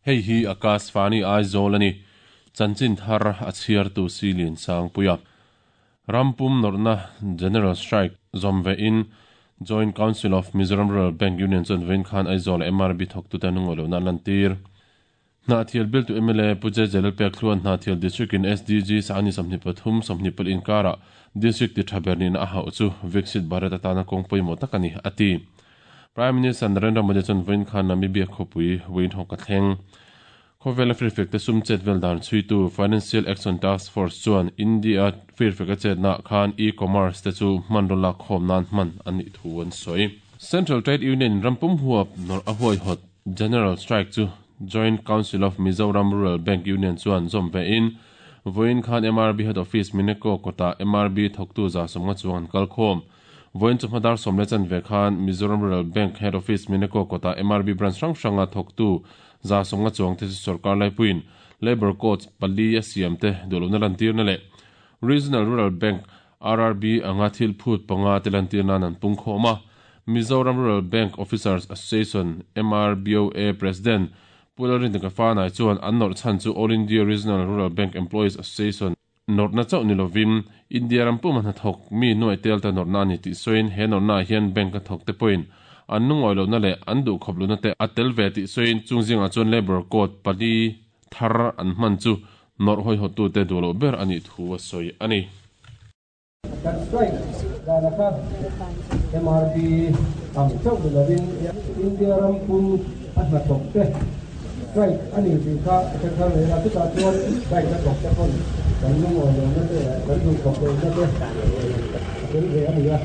Hei hi Akashvani Aizawl a ni. Chanchin thar a chhiartu Silian Sangpuia. Rampum nawrhna General Strike zawm ve in Joint Council of Mizoram Rural Bank Union chuan vawiin khan Aizawl a MRB thawktute an ungawih lohna an lantir. Hnahthial biltu mla Pu JJ Lalpekthluan Hnahthial District in SDG Sangni 23, 24 inkarah District ti tha ber nihna a hauh chu Viksit Bharat atana kawng pawimawh tak a ni, a ti. Prime Minister Narendra Modi chuan vawiin khan Namibia khawpui Windhoek a thleng. Khawvela firfek te sum chet vel dan chhuitu Financial Action Task Force chuan India firfek a chetnaah khan e-commerce te chu hmanraw lak khawm nan hman a nih thu an sawi. Central Trade Union in rampum huap nawrh a huaihawt General Strike chu Joint Council of Mizoram Rural Bank Union chuan zawm ve in vawiin khan MRB Head Office Mineko kawtah MRB thawktu 150 chuang an kal khawm. Vawiin chawhma dar 10 15 khan Mizoram Rural Bank Head Office Mineko kawtah MRB branch hrang hranga thawktu 150 chuangte chu sorkar laipuiin Labour Codes pali a siamte duhlohna lantirna leh Regional Rural Bank, RRB, anga thil phut panga te lantir nan an pung khawm a. Mizoram Rural Bank Officers Association, MRBOA, President Pu Lalrindika Fanai chuan an nawrh chhan chu All India Regional Rural Bank Employees Association nawrhna chauh ni lovin India ram puma hnathawk mi nuaih tel ta nawrhna a ni tih sawiin he nawrhnaah hian bank a thawk te pawhin an lungawi lohna leh an duhkhawp lohna te a tel ve tih sawiin chung zingah chuan Labour Code pali thar an hman chu nawrh hawihawttute duh loh ber a nih thu a sawi a ni. Kan strike dana kha MRB ang chauh ni lovin India ram pum a hnathawk te strike a ni tih kha a hre thar reng a, chutah chuan strike a thawk te pawn kan lungawi lohna te leh kan duhkhawp lohna te a tel ve a ni a.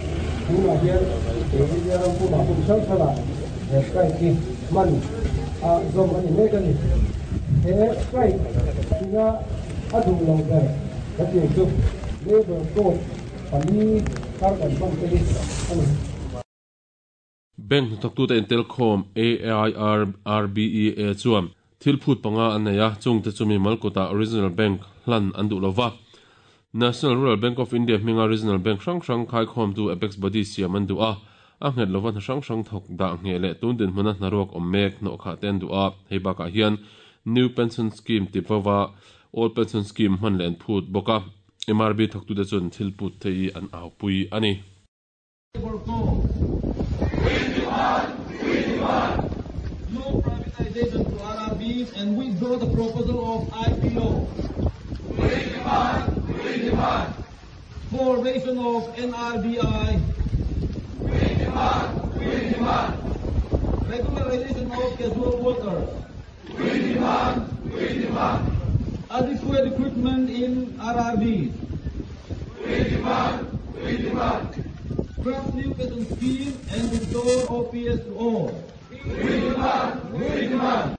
Tunah hian he India ram pumah hmun hrang hrangah he strike hi hman a zawm a ni mek a ni. He strike ina a duh lo ber ka tih chu Labour Code pali thar kan hman te hi a ni. Bank hnathawktute intelkhawm AIRRBEA chuan thil phut panga an nei a, chungte chu mimal kutah Regional Bank hlan an duh lova. National Rural Bank of India hminga Regional Bank hrang hrang khaikhawmtu Apex Body siam an duh a, a nghet lova hna hrang hrang thawk dah ngheh leh tun dinhmuna hnaruak awm mek hnawhkhah te an duh a, hei bakah hian New Pension Scheme ti vova Old Pension Scheme hman leh an phut bawk a, MRB thawktute chuan thil put te hi an aupui a ni. No privatization to RRBs and withdraw the proposal of IPO. We demand, we demand. Formation of NRBI. We demand, we demand. Regularization of casual workers. We demand, we demand. Adequate equipment in RRBs. We demand, we demand. Draft new pension scheme and restore OPS to all. We demand, we demand.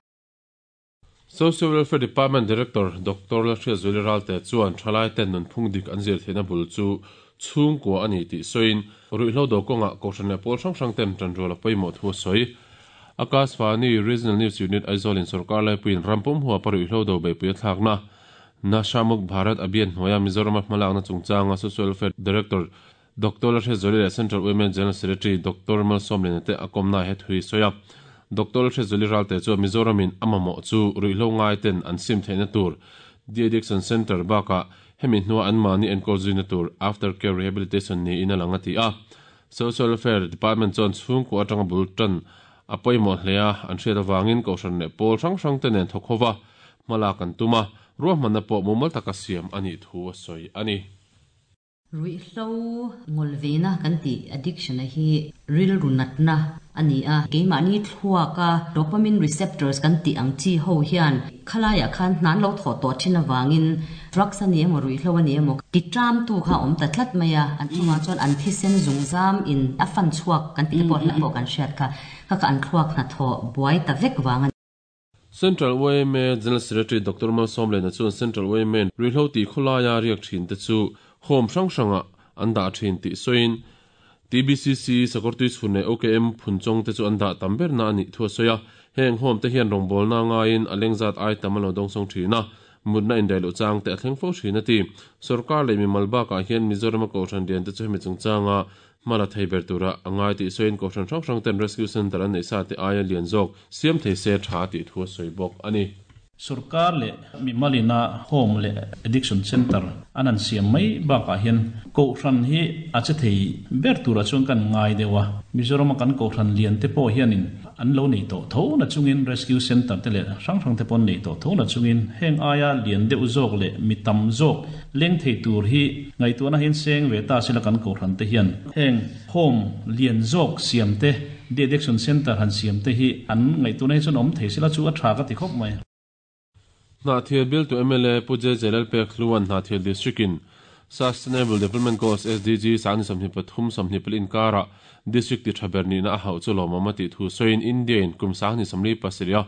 Social Welfare Department Director Doctor Lalhriatzuali Ralte chuan thalaiten nunphung dik an zir theihna bul chu chhungkua a ni tih sawiin ruihhlo do kawngah Kohhran leh pawl hrang hrang ten tanrual a pawimawh thu a sawi. Akashvani Regional News Unit Aizawl in sawrkar laipuiin rampum huapa ruihhlo do beihpui a thlakna Nasha Muk Bharat Abhiyan hnuaia Mizorama hmalakna chungchanga Social Welfare Director Doctor Lalhriatzuali leh Central Women General Secretary Doctor Malsawmliana te a kawmna he thu hi sawi a. Doctor Lalhriatzuali Ralte chuan Mizoramin a mamawh chu ruihhlo ngaiten an sim theihna tur De-addiction Centre bakah hemi hnua anmahni enkawl zuina tur After Care Rehabilitation niin a lang a ti a. Social Welfare Department chuan chhungkua atanga bul tan a pawimawh hle a, an hriat avangin Kohhran leh pawl hrang hrang te nen thawk hova hmalak an tum a, ruahmanna pawh mumal taka siam a nih thu a sawi a ni. Ruihhlo ngawlveina kan tih addiction a hi rilru natna a ni a, keimahni thluaka dopamine receptors kan tih ang chi ho hian khalaiah khan hna an lo thawh tawh thin avangin drugs a ni emaw ruihhlo a ni emaw ti tramtu kha a awm ta tlat mai a, an chungah chuan an thisen zungzam in a fan chhuak kan tih te pawh hla pawh kan hriat kha, kha kha an thluak hnathawh buai ta vek vang a ni. Central yma General Secretary Doctor Malsawmlena chuan Central yma ruihhlo tih khawlaia riak thin te chu home hrang hrangah an dah thin tih sawiin TBCC, Sakawrtui chhun leh OKM phunchawng te chu an dah tam berna a nih thu a sawi a. Heng home te hian rawngbawlna ngaiin a lengzat ai tam an lo dawngsawng thin a. Mutna indaih loh chang te a thleng fo thin a ti. Sorkar leh mimal bakah hian Mizorama Kohhran lian te chu hemi chungchanga hma la thei ber tura a ngai tih sawiin Kohhran hrang hrang ten Rescue Centre an neih sa te aia lian zawk siam thei se tha tih thu a sawi bawk a ni. Sorkar leh mimalina Home leh Addiction Centre an han siam mai bakah hian Kohhran hi a che thei ber turah chuan kan ngai deuh a. Mizorama kan Kohhran lian te pawh hianin an lo nei tawh tho na chungin Rescue Centre te leh hrang hrang te pawh an nei tawh tho na chungin heng aia lian deuh zawk leh mi tam zawk leng thei tur hi ngaihtuahna hian seng ve ta sila kan Kohhran te hian heng Home lian zawk siam te De Addiction Centre han siam te hi an ngaihtuahna hi chuan awm thei sela chu a tha ka ti khawp mai. Hnahthial bialtu mla Pu JJ Lalpekhluan Hnahthial District in Sustainable Development Goals, SDG, sang ni 23 24 inkarah District ti tha ber nihna a hauh chu lawmawm a tih thu sawiin India in kum 2037 a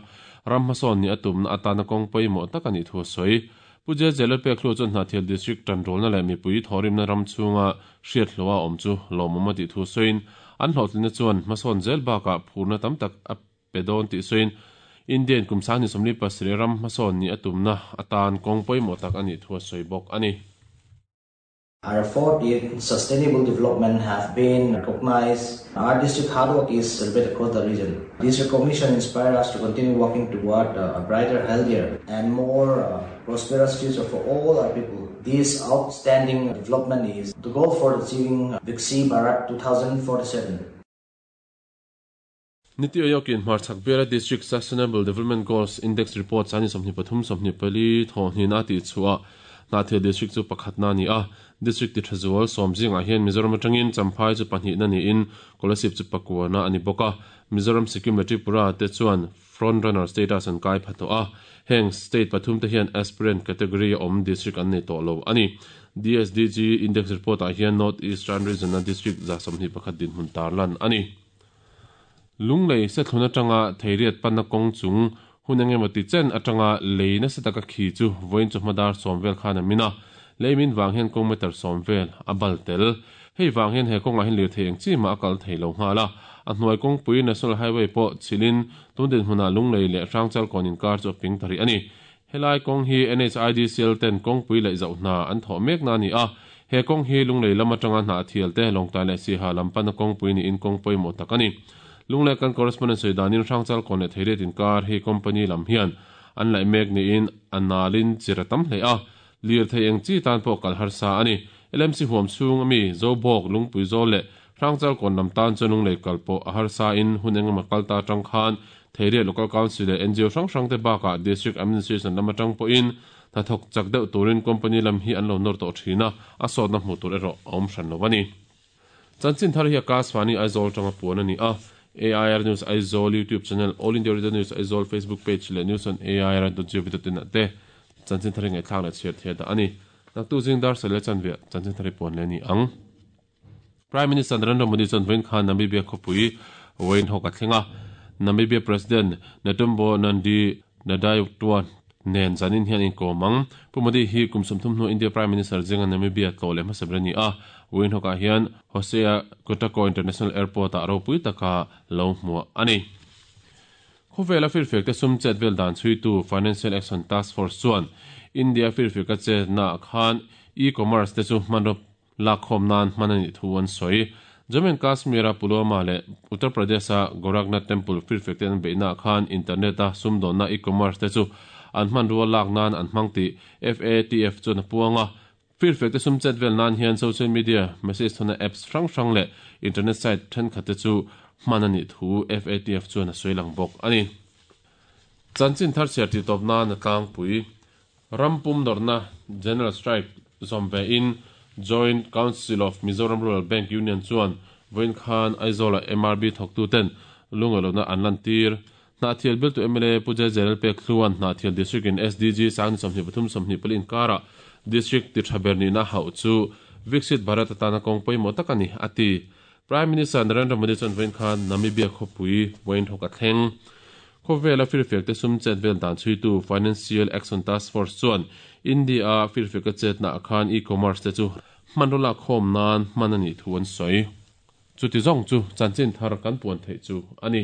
ram hmasawn nih a tumna atana kawng pawimawh tak a nih thu a sawi. Pu JJ Lalpekhlu chuan Hnahthial District tanrualna leh mipui thawhrimna ram chhunga hriat hlawha awm chu lawmawm a tih thu sawiin an hlawhtlinna chuan hmasawn zel bakah phurna tam tak a pe dawn tih sawiin Indian kum 2037 ram hmasawn nih a tumna atan kawng pawimawh tak a nih thu a sawi bawk a ni. Our effort in sustainable development have been recognized. Our district hard work is celebrated across the region. This recognition inspires us to continue working toward a brighter, healthier and more prosperous future for all our people. This outstanding development is the goal for achieving Viksit Bharat 2047. Niti Ayokin hmarchhak biala District Sustainable Development Goals Index Report sani 23 24 thawhhnihna a tihchhuah Hnahthial District chu pakhatna a ni a, District ti tha zual sawm zingah hian Mizoram atangin Champhai chu pahnihna niin Kolasib chu pakuana a ni bawk a, Mizoram, Sikkim leh Tripura te chuan Front Runner status an kai pha tawh a, heng state pathum te hian Aspirant category a awm district an nei tawh lo a ni. DSDG Index Report ah hian North Eastern Region a district 21 dinhmun tarlan a ni. Lunglei sethlun atanga Theiriat panna kawng chung hun eng emaw ti chen atanga lei nasa taka khi chu vawiin chawhma dar sawm vel khan a min a, lei min vang hian kawng meter sawm vel a bal tel. Hei vang hian he kawngah hian lirthei eng chi mah a kal thei lo nghal a, a hnuai kawngpui National Highway pawh chhilhin tun dinhmunah Lunglei leh Hrangchal kawn inkar chu a ping ta rih a ni. Helai kawng hi NHIDCL ten kawngpui leh zoh hna an thawh mekna a ni a, he kawng hi Lunglei lam atanga hna a thial te, Lawngtlai leh Siaha lam pana kawngpui niin kawng pawimawh tak a ni. Lunglei kan correspondent sawi danin Hrangchal kawn leh Theiriat inkar hi company lam hian an laih mek niin a nalin chir a tam hle a, lirthei eng chi tan pawh kal harsa a ni. LMC huam chhung ami Zobawk, Lungpui Zawl leh Hrangchal kawn lam tan chuan Lunglei kal pawh a harsa in hun engemaw kal ta atang khan Theiriat Local Council leh ngo hrang hrang te bakah District Administration lam atang pawhin hnathawk chak deuh turin company lam hi an lo nawr tawh thin a, a sawtna hmuh tur erawh a awm hran lo a ni. Chanchin thar hi Akashvani Aizawl atanga puan a ni a, AIR News Aizawl YouTube channel, All India Radio News Aizawl Facebook page leh News on AIR dot gov dot in ah te chanchin thar hi ngaihthlak leh chhiar thei a dah a ni. Naktuk zing dar sawih leh chanve chanchin thar hi puan leh a ni ang. Prime Minister Narendra Modi chuan vawiin khan Namibia khawpui Windhoek a thleng a, Namibia President Netumbo Nandi-Ndaitwah nen zanin hian inkawm ang. Pu Modi hi kum 30 hnu India Prime Minister zinga Namibia tlawh leh hmasa ber a ni a, Windhoek-ah hian Hosea Kutako International Airport-ah ropui taka lo hmuah a ni. Khawvela firfiakte sum chet vel dan chhuitu Financial Action Task Force chuan India firfiaka chetnaah khan e-commerce te chu hmanraw Lakkhawm nan hman a nih thu an sawi. Jammu and Kashmir-a Pulwama leh Uttar Pradesh-a Gorakhnath Temple firfek te an beihnaah khan internet-a sumdawnna e-commerce te chu an hmanrua lak nan an hmang tih FATF chuan a puang a. Firfek te sum chet vel nan hian social media message thawnna apps hrang hrang leh internet site thenkhat te chu hman a nih thu FATF chuan a sawi lang bawk a ni. Chanchin thar chhiar tih tawp nan a tlangpui. Ram pum nawrhna General Strike zawm ve in Joint Council of Mizoram Rural Bank Union chuan vawiin khan Aizawl-ah MRB thawktuten lungaihlohna an lantir. Hnahthial biltu mla Pu Jai Jalal Pek Hluan Hnahthial District in SDG 2023 24 inkarah District ti tha ber nihna hauh chu Viksit Bharat atana kawng pawimawh tak a ni, a ti. Prime Minister Narendra Modi chuan vawiin khan Namibia khawpui Windhoek a thleng. Khawvela firfiakte sum chet vel dan chhuitu Financial Action Task Force chuan India-a firfiaka chetnaah khan e-commerce te chu hmanraw lakkhawm nan hman a nih thu an sawi. Chuti zawng chu chanchin thar kan puan theih chu a ni.